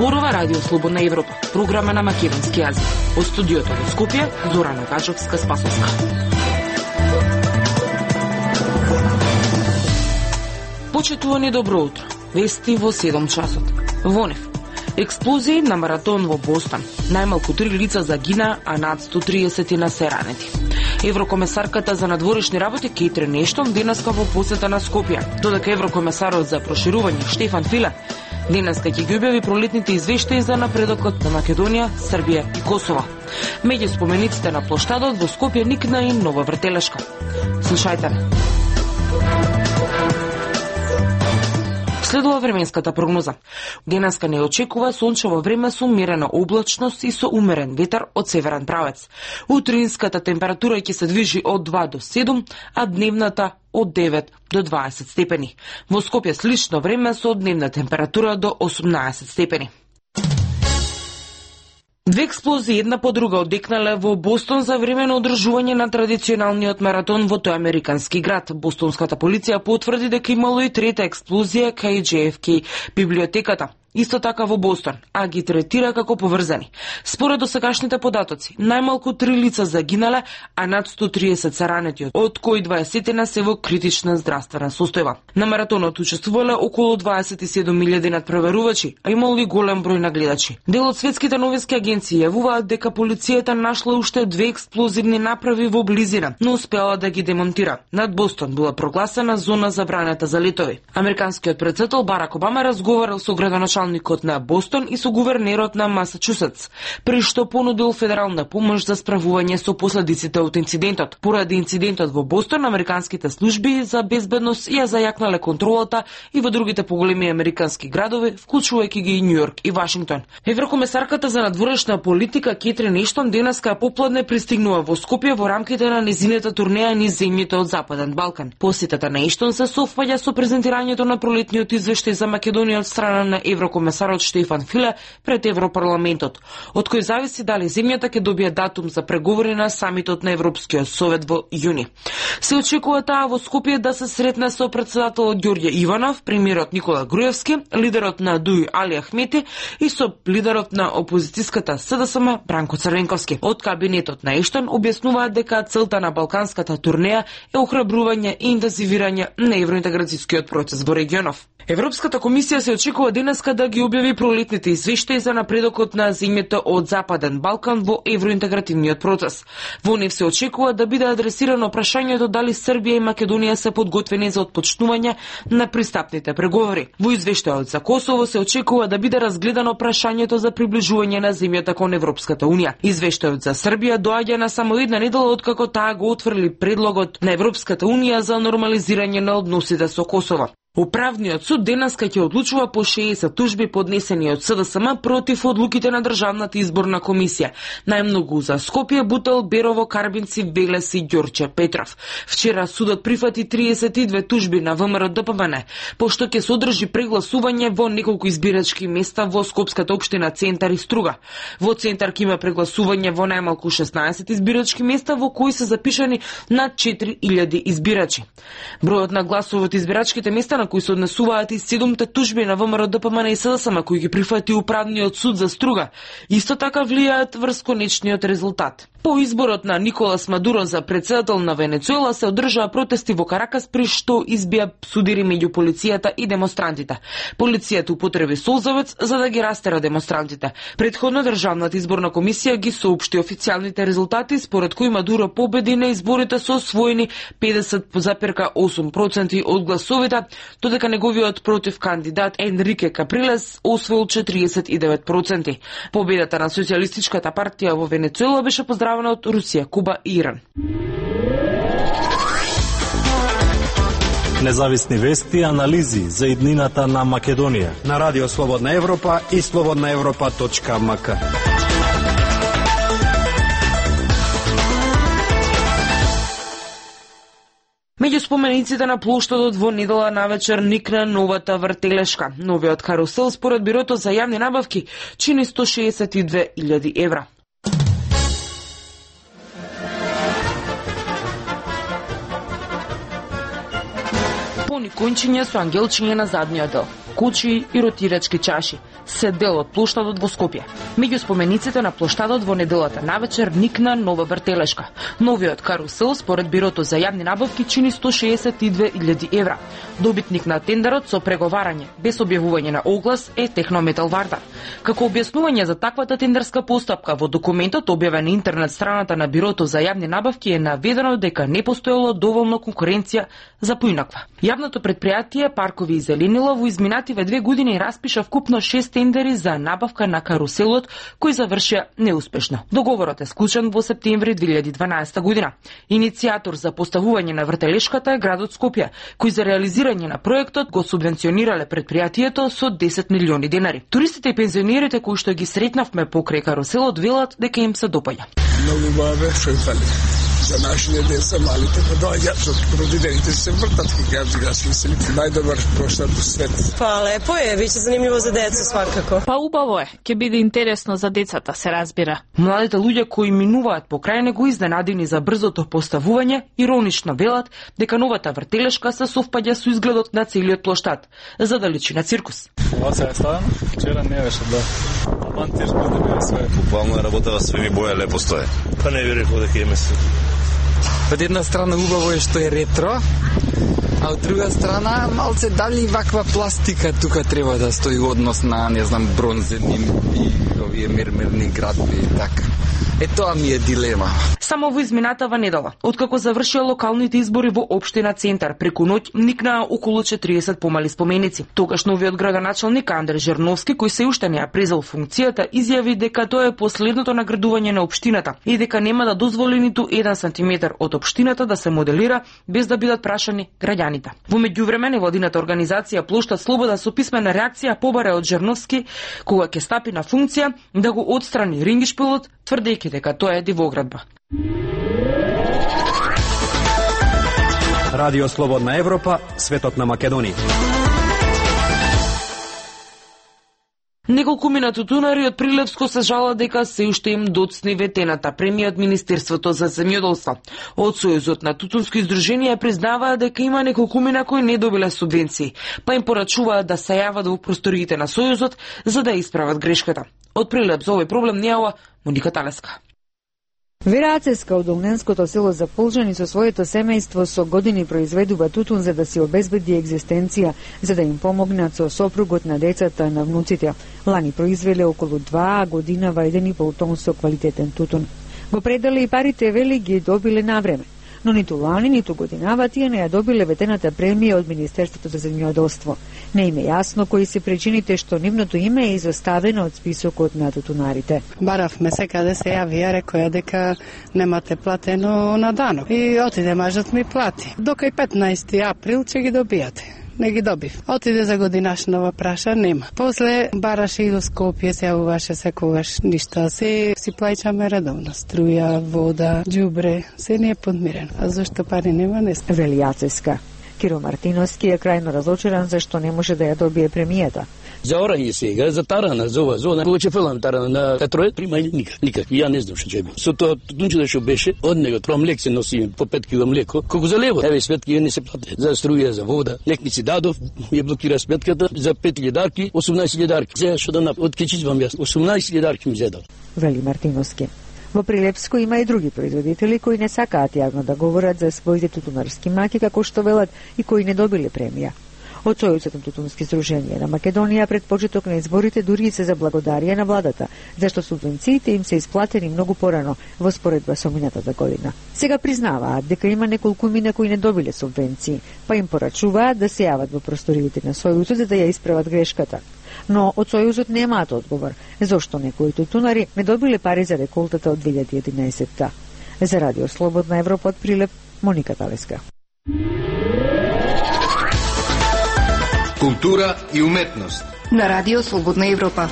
Зборува Радио Слободна Европа, програма на македонски јазик. Од студиото во Скопје, Зорана Гаджовска-Спасовска. Почитувани, добро утро. Вести во 7 часот. Во нив. Експлозии на маратон во Бостон. Најмалку 3 лица загина, а над 130 се ранети. Еврокомесарката за надворешни работи Кейтрин Ештон денеска во посета на Скопје, додека еврокомесарот за проширување Штефан Филе денеска ќе ги објави пролетните извештаи за напредокот на Македонија, Србија и Косово. Меѓу спомениците на плоштадот во Скопје никна и нова вртелешка. Слушајте. Следува временската прогноза. Денеска не очекува сончево време со умерена облачност и со умерен ветар од северен правец. Утринската температура ќе се движи од 2 до 7, а дневната од 9 до 20 степени. Во Скопје слично време со дневна температура до 18 степени. Две експлозии една по друга одекнале во Бостон за време на одржување на традиционалниот маратон во тој американски град. Бостонската полиција потврди дека имало и трета експлозија кај JFK библиотеката. Исто така во Бостон, а ги третира како поврзани. Според досегашните податоци, најмалку 3 лица загинале, а над 130 се ранети, од кои 20 се во критична здравствена состојба. На маратонот учествувале околу 27.000 надпреварувачи, а имало и голем број на гледачи. Дел од светските новински агенции јавуваат дека полицијата нашла уште 2 експлозивни направи во близина, но успеала да ги демонтира. Над Бостон била прогласена зона забранета за летови. Американскиот претседател Барак Обама разговарал со градоначалникот на Бостон и со гувернерот на Масачусетс, при што понудил федерална помош за справување со последиците од инцидентот. Поради инцидентот во Бостон, американските служби за безбедност ја зајакнале контролата и во другите поголеми американски градови, вклучувајќи ги и Њујорк и Вашингтон. Еврокомесарката за надворешна политика Кейтрин Ештон денеска попладне пристигнува во Скопје во рамките на незината турнеја низ земјите од Западен Балкан. Посетата на Ештон се совпаѓа со презентирањето на пролетниот извештај за Македонија од страна на Еврокомесарот Штефан Филе пред Европарламентот, од кој зависи дали земјата ќе добие датум за преговори на самитот на Европскиот совет во јуни. Се очекува таа во Скопје да се сретне со претседателот Ѓорѓе Иванов, премиерот Никола Груевски, лидерот на ДУИ Али Ахмети и со лидерот на опозицијската СДСМ Бранко Црвенковски. Од кабинетот на Ештон објаснуваат дека целта на балканската турнеја е охрабрување и интензивирање на евроинтеграцијскиот процес во регионов. Европската комисија се очекува денеска да ги објави пролетните извештаи за напредокот на земјите од Западен Балкан во евроинтегративниот процес. Во нив се очекува да биде адресирано прашањето дали Србија и Македонија се подготвени за отпочнување на пристапните преговори. Во извештајот за Косово се очекува да биде разгледано прашањето за приближување на земјата кон Европската унија. Извештајот за Србија доаѓа на само една недела откако таа го отфрли предлогот на Европската унија за нормализирање на односите со Косово. Управниот суд денеска ќе одлучува по 60 тужби поднесени од СДСМ против одлуките на Државната изборна комисија. Најмногу за Скопје, Бутел, Берово, Карбинци, Велес и Ѓорче Петров. Вчера судот прифати 32 тужби на ВМРО ДПМН, пошто ќе се одржи прегласување во неколку избирачки места во Скопската општина Центар и Струга. Во Центар ќе има прегласување во најмалку 16 избирачки места во кои се запишани над 4000 избирачи. Бројот на гласови од избирачките места на кои се однесуваат и 7 тужби на ВМРО ДПМН и СДСМ кои ги прифати Управниот суд за Струга, исто така влијаат врз конечниот резултат. По изборот на Николас Мадуро за претседател на Венецуела се одржаа протести во Каракас при што избија судири меѓу полицијата и демонстрантите. Полицијата употреби солзавец за да ги растера демонстрантите. Претходно Државната изборна комисија ги соопшти официјалните резултати според кои Мадуро победи на изборите со освоени 50,8% од гласовите, додека неговиот против кандидат Енрике Каприлес освоил 49%. Победата на Социјалистичката партија во Венецуела беше поздравена од Русија, Куба и Иран. Независни вести и анализи за иднината на Македонија на Радио Слободна Европа и slobodnaevropa.mk. Меѓу спомениците на плоштадот во недела навечер никна новата вртелешка. Новиот карусел според Бирото за јавни набавки чини 162.000 евра. Балони кончиња со ангелчиња на задниот дел, кучи и ротирачки чаши, се дел од плоштадот во Скопје. Меѓу спомениците на плоштадот во неделата навечер никна нова вртелешка. Новиот карусел според Бирото за јавни набавки чини 162.000 евра. Добитник на тендерот со преговарање без објавување на оглас е Технометал Вардар. Како објаснување за таквата тендерска постапка во документот објавен на интернет страната на Бирото за јавни набавки е наведено дека не постоело доволно конкуренција за поинаква. Јавното предпријатие Паркови и зеленила во изминативе 2 години распиша вкупно 6 тендери за набавка на каруселот, кои завршија неуспешно. Договорот е склучен во септември 2012 година. Иницијатор за поставување на вртелешката е градот Скопје, кој за реализирање на проектот го субвенционирале предпријатието со 10 милиони денари. Туристите и пензионерите кои што ги сретнавме покрај каруселот велат дека им се допаѓа. Многу баве, фали. За нашите деца малите доаѓаат, што родителите се вртат кога ги смислили најдобар проштад во свет. Па лепо е, биќе занимљиво за деца свакако. Па убаво е, ќе биде интересно за децата, се разбира. Младите луѓе кои минуваат покрај него изненадени за брзото поставување, иронично велат дека новата вртелешка се совпаѓа со изгледот на целиот плоштад, за да личи на циркус. Ова се е ставено, вчера не беше да. Монтир да биде све. Буквално работава све ми боја лепо стое. Па не би рекол дека има се. Од една страна убаво е што е ретро, а од друга страна малце дали ваква пластика тука треба да стои однос на, не знам, бронзени и овие мермерни градби и така. Е тоа ми е дилема. Само во изминатава недела, откако завршија локалните избори во општина Центар, преку ноќ никнаа околу 40 помали споменици. Тогаш новиот градоначалник Андре Жерновски, кој се уште не ја презел функцијата, изјави дека тоа е последното наградување на општината и дека нема да дозволи ниту 1 сантиметар од општината да се моделира без да бидат прашани граѓаните. Во меѓувреме невладината организација Плоштад Слобода со писмена реакција побара од Жерновски кога ќе стапи на функција да го отстрани рингишпилот, тврдејќи дека тоа е дивоградба. Радио Слободна Европа, светот на Македонија. Неколкумина тутунари од Прилепско се жала дека се уште им доцни ветената премија од Министерството за земјоделство. Од Сојузот на тутунски издруженија признаваа дека има неколкумина кои не добиле субвенции, па им порачуваат да се јават во просториите на Сојузот за да исправат грешката. Од Прилеп за овој проблем не јава Моника Талеска. Вера Ацеска од Огненското село Заполжани со своето семејство со години произведува тутун за да си обезбеди екзистенција, за да им помогнат со сопругот на децата на внуците. Лани произвеле околу 2 годинава 1,5 тон со квалитетен тутун. Го предале и парите, вели, ги добиле на време. Но ниту лани, ниту годинава тие не ја добиле ветената премија од Министерството за земјоделство. Не им е јасно кои се причините што нивното име е изоставено од списокот на тутунарите. Баравме се каде се јавија, рекоја дека немате платено на данок. И отиде мажот ми плати. Дока и 15 април ќе ги добијате. Не ги добив. Отиде за годинашнова праша, нема. После бараше и до Скопје, се јавуваше секогаш ништо. Се си плаќаме редовно. Струја, вода, џубре, се не е подмирено. А зашто пари нема, не знам. Вели Ацеска. Киро Мартиновски е крајно разочаран зашто не може да ја добие премијата. За орање сега, за тарана, за ова, кога ќе фелам тарана на катроет, примање никак. Ја не знам што ќе би. Со тоа тутунче што беше, од него тоа млек се носи по 5 кг млеко. Колку за лево? Еве сметки не се плати. За струја, за вода, некници дадов, ја блокира сметката за 5 дарки, 18 дарки. Сега што да нап, од кечизвам јас, 18 дарки ми зедал. Вели Мартиновски. Во Прилепско има и други производители кои не сакаат јавно да говорат за своите тутунарски маки, како што велат, и кои не добиле премија. Од Сојузот на тутунски здруженија на Македонија пред почеток на изборите дури се заблагодарија на владата, зашто субвенциите им се исплатени многу порано во споредба со минатата година. Сега признаваат дека има неколкумина кои не добиле субвенции, па им порачуваат да се јават во просториите на Сојузот за да ја исправат грешката. Но од Сојузот немаат одговор зошто некои тутунари не добиле пари за реколтата од 2011-та. За Радио Слободна Европа од Прилеп, Моника Талеска. Култура и уметност на Радио Слободна Европа.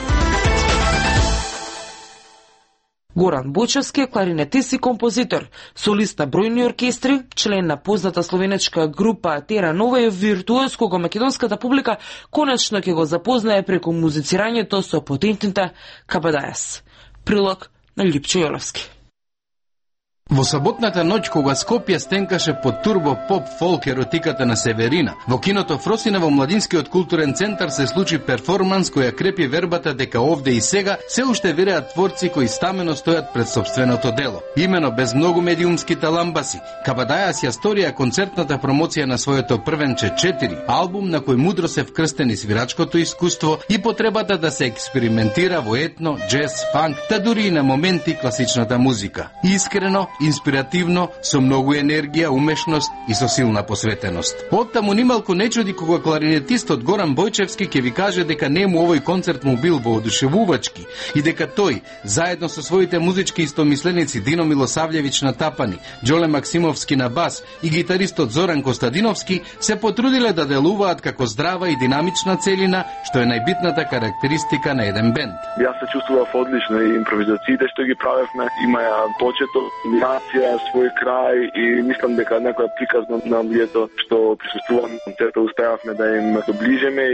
Горан Бочевски е кларинетист и композитор, солист на бројни оркестри, член на позната словенечка група Тера Нова и виртуоз кога македонската публика конечно ќе го запознае преку музицирањето со потентните Кабадајас. Прилог на Липчо Јолевски. Во саботната ноќ кога Скопје стенкаше под турбо поп фолк еротиката на Северина, во киното Фросина во Младинскиот културен центар се случи перформанс која крепи вербата дека овде и сега се уште вереат творци кои стамено стојат пред сопственото дело. Имено без многу медиумски таламбаси, Кабадајас ја сторија концертната промоција на своето првенче 4, албум на кој мудро се вкрстени свирачкото искуство и потребата да се експериментира во етно, джез, фанк, та дури и на моменти класичната музика. Искрено, инспиративно, со многу енергија, умешност и со силна посветеност. Оттаму нималку не чуди кога кларинетистот Горан Бојчевски ќе ви каже дека нему овој концерт му бил воодушевувачки и дека тој, заедно со своите музички истомисленици Дино Милосављевич на тапани, Џоле Максимовски на бас и гитаристот Зоран Костадиновски се потрудиле да делуваат како здрава и динамична целина, што е најбитната карактеристика на еден бенд. Јас се чувствував одлично и импровизациите што ги правевме имаја почеток, нација, свој крај и мислам дека некоја приказна на луѓето што присуствуваа на концертот успеавме да им доближиме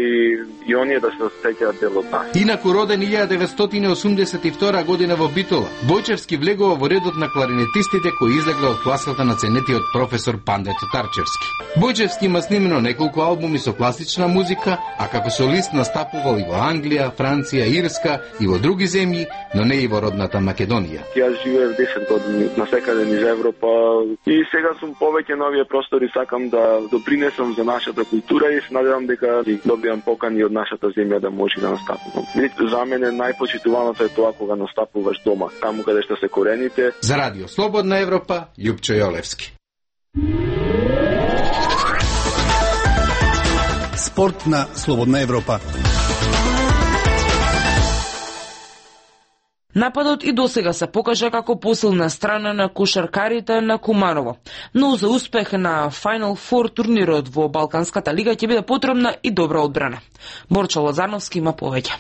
и оние да се сеќаат дел од нас. Инаку роден 1982 година во Битола, Бојчевски влегува во редот на кларинетистите кои излегла од класата на ценетиот професор Панде Татарчевски. Бојчевски има снимено неколку албуми со класична музика, а како солист настапувал и во Англија, Франција, Ирска и во други земји, но не и во родната Македонија. Јас живеев 10 години насекаде низ Европа и сега сум повеќе на овие простори, сакам да допринесам за нашата култура и се надевам дека добиам покани од нашата земја да може да настапувам. За мене најпочитуваното е тоа кога настапуваш дома, таму каде што се корените. За Радио Слободна Европа, Љупчо Јолевски. Спорт на Слободна Европа. Нападот и досега се покажа како посилна страна на кошаркарите на Куманово, но за успех на Final Four турнирот во Балканската лига ќе биде потребна и добра одбрана. Борчо Лозановски има повеќе.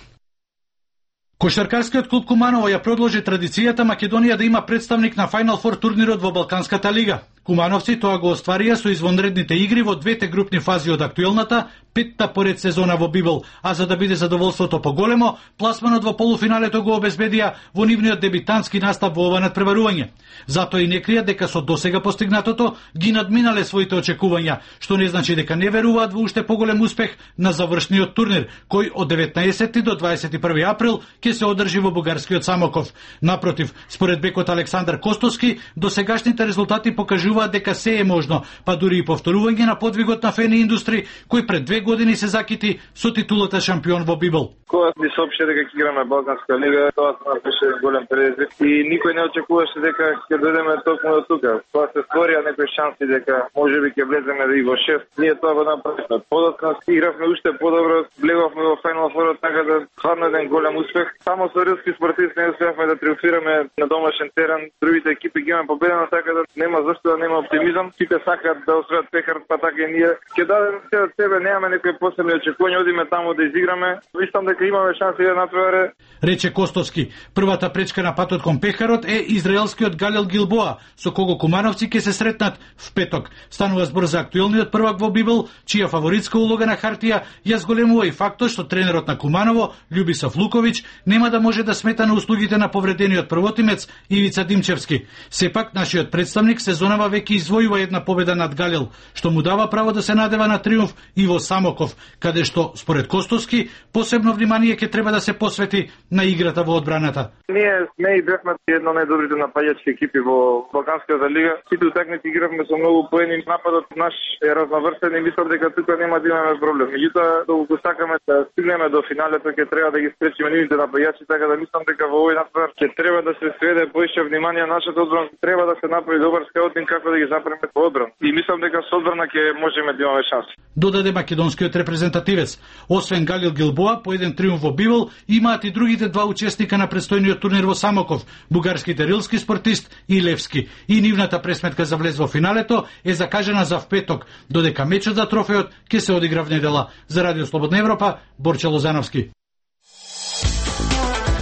Кошаркарскиот клуб Куманово ја продолжи традицијата Македонија да има представник на Final Four турнирот во Балканската лига. Кумановци тоа го остварија со извонредните игри во двете групни фази од актуелната, петта поред сезона во Бибел, а за да биде задоволството поголемо, пласманот во полуфиналето го обезбедија во нивниот дебитантски настап во ова надпреварување. Затоа и не кријат дека со досега постигнатото ги надминале своите очекувања, што не значи дека не веруваат во уште поголем успех на завршниот турнир, кој од 19 до 21 април ќе се одржи во бугарскиот Самоков. Напротив, според бекот Александар Костовски, досегашните резултати покажуваат дека се е можно, па дури и повторување на подвигот на Фени Индустри, кој пред 2 години се закити со титулата шампион во Бибел. Кога ни соопшти дека ќе играме Балканска лига, тоа беше голем предизвик и никој не очекуваше дека ќе дојдеме токму до тука. Тоа се створија некои шанси дека можеби ќе влеземе и во 6. Ние тоа го направивме. Подоцна игравме уште подобро, влеговме во Final Four, така да стварно еден голем успех. Само со рилски спортисти не успеавме да триумфираме на домашен терен. Другите екипи ги имаме победено, така да нема зашто да нема оптимизам. Сите сакаат да освојат пехарот, па така и ние. Ќе дадеме се од себе, немаме некои посебни очекувања, одиме таму да изиграме. Мислам дека имаме шанси да натпреваре. Рече Костовски. Првата пречка на патот кон пехарот е израелскиот Галил Гилбоа, со кого кумановци ќе се сретнат в петок. Станува збор за актуелниот првак во Бибел, чија фаворитска улога на хартија ја зголемува и фактот што тренерот на Куманово, Љубисав Луковиќ, нема да може да смета на услугите на повредениот првотимец Ивица Димчевски. Сепак нашиот представник сезонава веќе извојува една победа над Галил, што му дава право да се надева на триумф и во Самоков, каде што, според Костовски, посебно внимание ќе треба да се посвети на играта во одбраната. Ние сме и бевме една од најдобрите напаѓачки екипи во Балканската лига. Сите утакмици игравме со многу поени, нападот наш е разноврсен и мислам дека тука нема да имаме проблем. Меѓутоа, доколку сакаме да стигнеме до финалето, ќе треба да ги спречиме нивните напаѓачи, така да мислам дека во овој надпревар ќе треба да се сведе поише внимание на нашата одбрана. Треба да се направи добар скаутинг како да ги запреме во одбрана. И мислам дека со одбрана ќе можеме да имаме шанси. Додаде македонскиот репрезентативец. Освен Галил Гилбоа, по еден триумф во Бибел, имаат и другите два учесника на предстојниот турнир во Самоков, бугарските рилски спортист и Левски. И нивната пресметка за влез во финалето е закажана за в петок, додека мечот за трофеот ќе се одигра в недела. За Радио Слободна Европа, Борче Лозановски.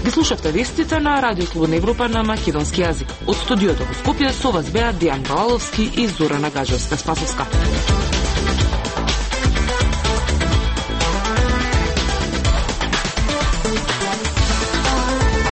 Ги слушавте вестите на Радио Слободна Европа на македонски јазик. Од студиото во Скопје со вас беа Дијан Балаловски и Зорана Гажевска-Спасовска.